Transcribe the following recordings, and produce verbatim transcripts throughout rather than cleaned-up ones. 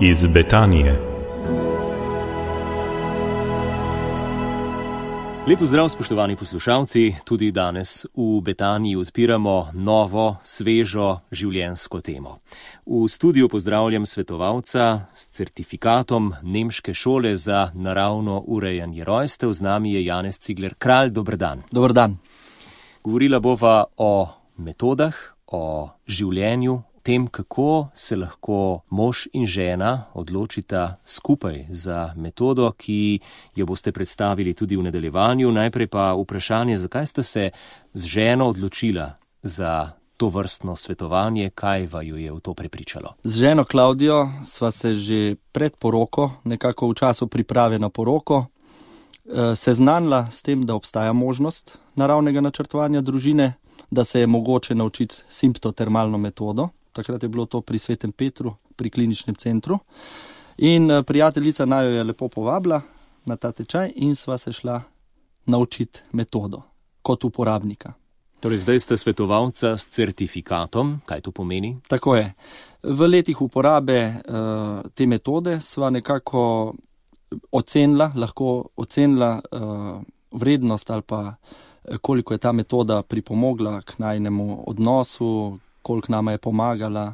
iz Betanije. Lep pozdrav, spoštovani poslušalci. Tudi danes v Betaniji odpiramo novo, svežo življenjsko temo. V studiu pozdravljam svetovalca s certifikatom Nemške šole za naravno urejanje rojstev. Z nami je Janez Cigler-Kralj. Dober dan. Dober dan. Govorila bova o metodah, o življenju, tem, kako se lahko mož in žena odločita skupaj za metodo, ki jo boste predstavili tudi v nadaljevanju. Najprej pa vprašanje, zakaj ste se z ženo odločila za to vrstno svetovanje, kaj vaju je v to prepričalo? Z ženo Klavdijo sva se že pred poroko, nekako v času priprave na poroko, seznanila s tem, da obstaja možnost naravnega načrtovanja družine, da se je mogoče naučiti simptotermalno metodo. Takrat je bilo to pri Svetem Petru, pri kliničnem centru. In prijateljica najo je lepo povabila na ta tečaj in sva se šla naučiti metodo kot uporabnika. Torej, zdaj ste svetovalca s certifikatom. Kaj to pomeni? Tako je. V letih uporabe uh, te metode sva nekako ocenila, lahko ocenila uh, vrednost ali pa koliko je ta metoda pripomogla k najnemu odnosu, koliko nama je pomagala.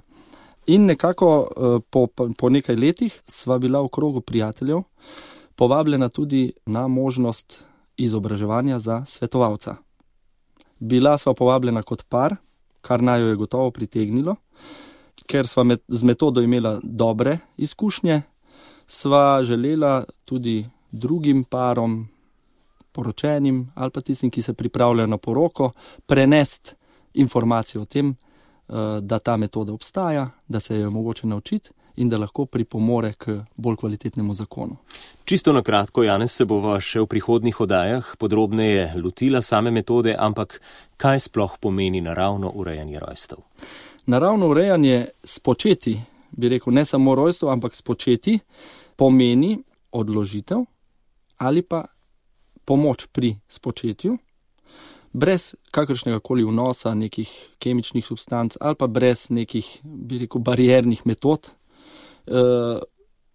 In nekako po, po nekaj letih sva bila v krogu prijateljev povabljena tudi na možnost izobraževanja za svetovalca. Bila sva povabljena kot par, kar najo je gotovo pritegnilo, ker sva med, z metodo imela dobre izkušnje, sva želela tudi drugim parom, poročenim ali pa tistim, ki se pripravljajo na poroko, prenesti informacijo o tem, da ta metoda obstaja, da se jo mogoče naučiti in da lahko pripomore k bolj kvalitetnemu zakonu. Čisto na kratko, Janez, se bova še v prihodnjih oddajah podrobneje lotila same metode, ampak kaj sploh pomeni naravno urejanje rojstev? Naravno urejanje spočeti, bi rekel, ne samo rojstev, ampak spočeti, pomeni odložitev ali pa pomoč pri spočetju, brez kakršnega koli vnosa nekih kemičnih substanc ali pa brez nekih, bi rekel, bariernih metod. E,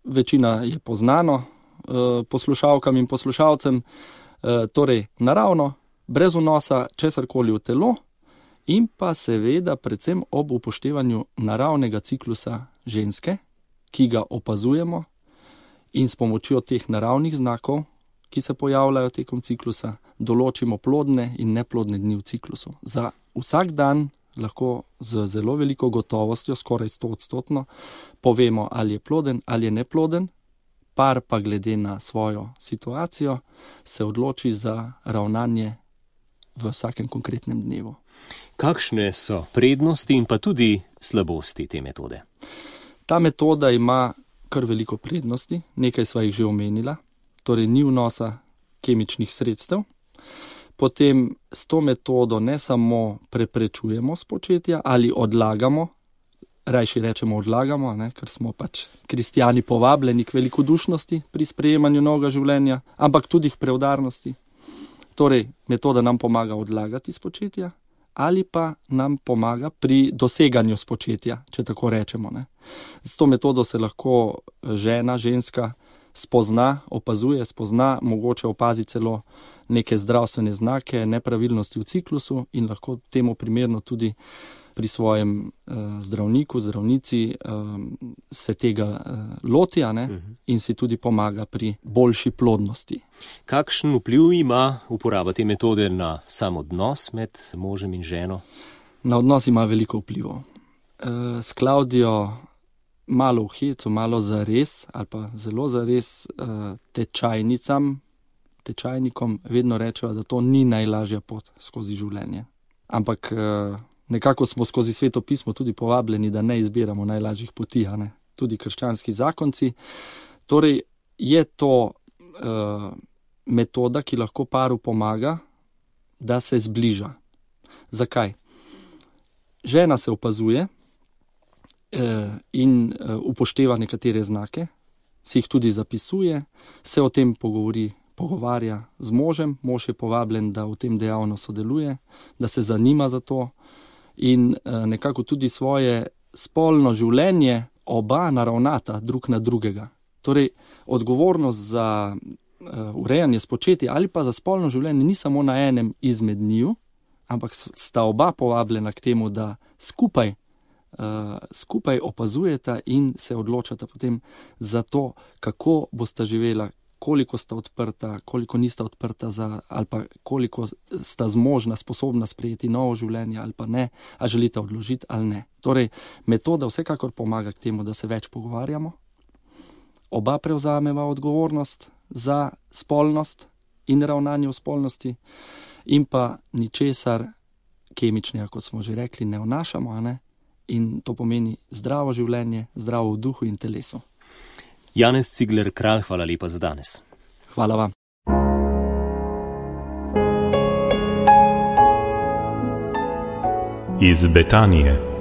večina je poznano e, poslušalkam in poslušalcem, e, torej naravno, brez vnosa česarkoli v telo in pa seveda predvsem ob upoštevanju naravnega ciklusa ženske, ki ga opazujemo in s pomočjo teh naravnih znakov, ki se pojavljajo tekom ciklusa, določimo plodne in neplodne dni v ciklusu. Za vsak dan lahko z zelo veliko gotovostjo, skoraj sto odstotno, povemo, ali je ploden ali je neploden, par pa glede na svojo situacijo se odloči za ravnanje v vsakem konkretnem dnevu. Kakšne so prednosti in pa tudi slabosti te metode? Ta metoda ima kar veliko prednosti, nekaj sva jih že omenila. Torej ni vnosa kemičnih sredstev. Potem s to metodo ne samo preprečujemo spočetja ali odlagamo, rajši rečemo odlagamo, ne, ker smo pač kristjani povabljeni k velikodušnosti pri sprejemanju novega življenja, ampak tudi k preudarnosti. Torej, metoda nam pomaga odlagati spočetja ali pa nam pomaga pri doseganju spočetja, če tako rečemo. Ne. S to metodo se lahko žena, ženska spozna, opazuje, spozna, mogoče opazi celo neke zdravstvene znake, nepravilnosti v ciklusu in lahko temu primerno tudi pri svojem uh, zdravniku, zdravnici uh, se tega uh, loti, a ne, uh-huh. in si tudi pomaga pri boljši plodnosti. Kakšen vpliv ima uporaba te metode na sam odnos med možem in ženo? Na odnos ima veliko vplivov. Uh, s Klavdijo malo v hecu, malo zares ali pa zelo zares uh, tečajnicam, tečajnikom vedno rečejo, da to ni najlažja pot skozi življenje. Ampak uh, nekako smo skozi Sveto pismo tudi povabljeni, da ne izbiramo najlažjih poti, a ne? Tudi krščanski zakonci. Torej je to uh, metoda, ki lahko paru pomaga, da se zbliža. Zakaj? Žena se opazuje in upošteva nekatere znake, si jih tudi zapisuje, se o tem pogovori, pogovarja z možem, mož je povabljen, da v tem dejavno sodeluje, da se zanima za to in nekako tudi svoje spolno življenje oba naravnata drug na drugega. Torej, odgovornost za uh, urejanje spočeti ali pa za spolno življenje ni samo na enem izmed njiju, ampak sta oba povabljena k temu, da skupaj, uh, skupaj opazujeta in se odločata potem za to, kako bosta živela, koliko sta odprta, koliko nista odprta za, ali pa koliko sta zmožna, sposobna sprejeti novo življenje ali pa ne, a želita odložiti ali ne. Torej, metoda vsekakor pomaga k temu, da se več pogovarjamo, oba prevzameva odgovornost za spolnost in ravnanje v spolnosti in pa ničesar kemičnega, kot smo že rekli, ne vnašamo, a ne? In to pomeni zdravo življenje, zdravo v duhu in telesu. Janez Cigler Kralj, hvala lepa za danes. Hvala vam. Iz Betanije.